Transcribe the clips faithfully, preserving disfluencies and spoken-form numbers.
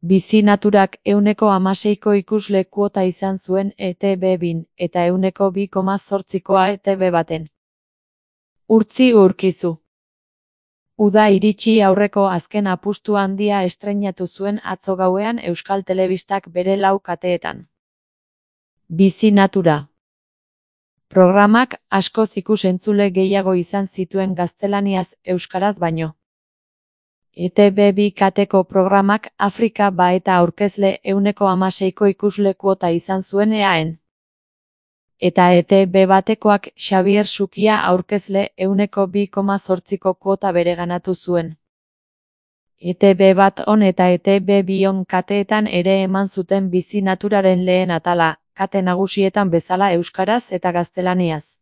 Bizi Naturak ehuneko hamaseiko ikusle kuota izan zuen E T B bin, eta ehuneko bi koma zortzikoa E T B baten. Urtzi Urkizu. Uda iritsi aurreko azken apustu handia estreinatu zuen atzo gauean Euskal Telebistak bere lau kateetan. Bizi Natura. Programak askoz ikus-entzule gehiago izan zituen gaztelaniaz euskaraz baino. E T B bi kateko programak Afrika ba eta aurkezle ehuneko hamaseiko ikusle kuota izan zuen eaen. Eta E T B batekoak Xabier Sukia aurkezle ehuneko bi koma zortziko kuota bereganatu zuen. E T B bat on eta E T B bi on kateetan ere eman zuten Bizi Naturaren lehen atala, kate nagusietan bezala euskaraz eta gaztelaniaz.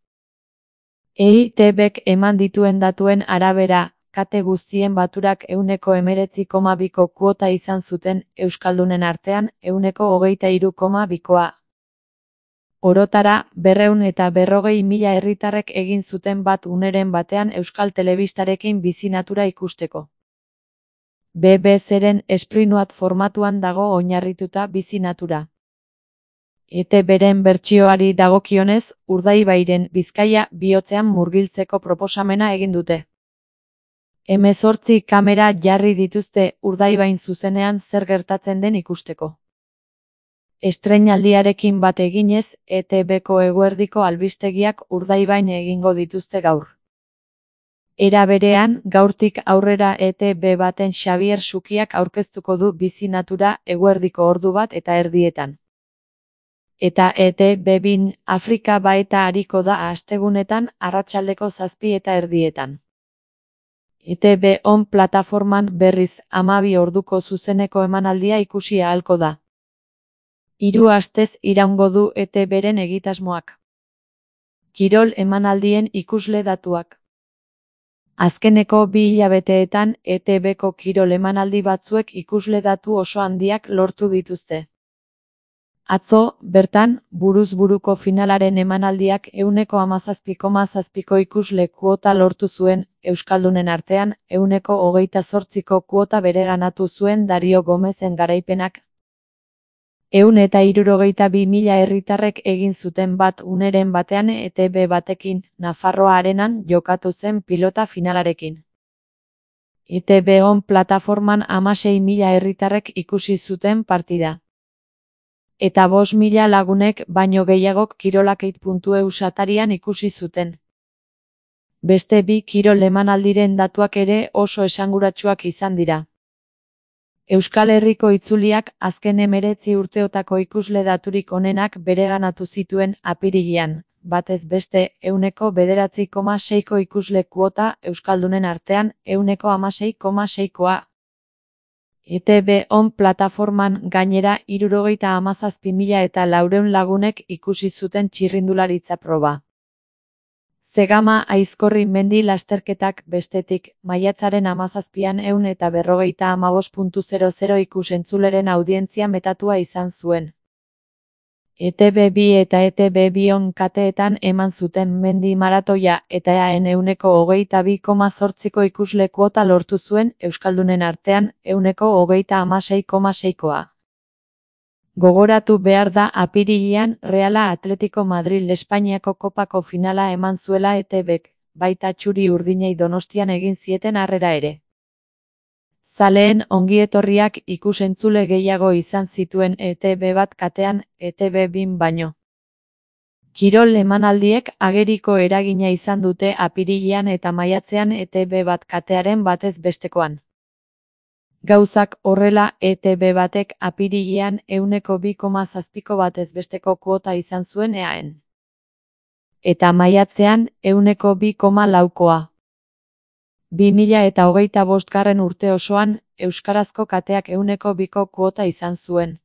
E T Bk eman dituen datuen arabera, kate guztien baturak ehuneko hemeretzi koma biko kuota izan zuten, euskaldunen artean ehuneko hogeita hiru koma bikoa. Orotara, berrehun eta berrogei mila herritarrek egin zuten bat uneren batean Euskal Telebistarekin Bizi Natura ikusteko. B B Cren Esprinuat formatuan dago oinarrituta Bizi Natura. E T Bren bertsioari dagokionez, Urdaibairen Bizkaia bihotzean murgiltzeko proposamena egin dute. Hemezortzi kamera jarri dituzte Urdaibain zuzenean zer gertatzen den ikusteko. Estreinaldiarekin bat eginez, E T Bko eguerdiko albistegiak Urdaibain egingo dituzte gaur. Era berean, gaurtik aurrera E T B baten Xabier Sukiak aurkeztuko du Bizi Natura eguerdiko ordu bat eta erdietan. Eta E T B bin Afrika ba eta ariko da astegunetan arratsaldeko zazpi eta erdietan. E T B on plataforman berriz hamabi orduko zuzeneko emanaldia ikusi ahalko da. Hiru astez iraungo du E T Bren egitasmoak. Kirol emanaldien ikusle datuak. Azkeneko bi hilabeteetan E T Bko kirol emanaldi batzuek ikusle datu oso handiak lortu dituzte. Atzo, bertan, buruz buruko finalaren emanaldiak ehuneko hamazazpi koma zazpiko ikusle kuota lortu zuen, euskaldunen artean ehuneko hogeita zortziko kuota bereganatu zuen Dario Gomezen garaipenak. Ehun eta hirurogeita bi mila herritarrek egin zuten bat uneren batean E T B batekin, Nafarroa Arenan jokatu zen pilota finalarekin. E T B on plataforman hamasei mila herritarrek ikusi zuten partida. Eta bost mila lagunek baino gehiagok kirolakeit puntu e u satarian ikusi zuten. Beste bi kirol emanaldiren datuak ere oso esanguratsuak izan dira. Euskal Herriko itzuliak azken hemeretzi urteotako ikusle daturik onenak bereganatu zituen apirilean, batez beste ehuneko bederatzi koma seiko ikusle kuota euskaldunen artean ehuneko hamasei koma seikoa. E T B on plataforman gainera hirurogeita hamazazpi mila eta laurehun lagunek ikusi zuten txirrindularitza proba. Zegama Aizkorri mendi lasterketak bestetik, maiatzaren hamazazpian ehun eta berrogeita hamabost koma zero ikus-entzuleren audientzia metatua izan zuen. E T B bi eta E T B bi on kateetan eman zuten mendi maratoia eta eaen ehuneko hogeita bi koma zortziko ikusle kuota lortu zuen euskaldunen artean ehuneko hogeita hamasei koma seikoa. Gogoratu behar da apirilean Reala Atletico Madrid Espainiako kopako finala eman zuela E T Bk, baita txuri urdinei Donostian egin zieten harrera ere. Zaleen ongietorriak ikus-entzule gehiago izan zituen E T B bat katean, E T B bin baino. Kirol emanaldiek ageriko eragina izan dute apirilean eta maiatzean E T B bat katearen batez bestekoan. Gauzak horrela E T B batek apirilean ehuneko bi koma zazpiko batez besteko kuota izan zuen eaen. Eta maiatzean ehuneko bi koma laukoa. bi mila eta hogeita bostgarren urte osoan, euskarazko kateak ehuneko biko kuota izan zuen.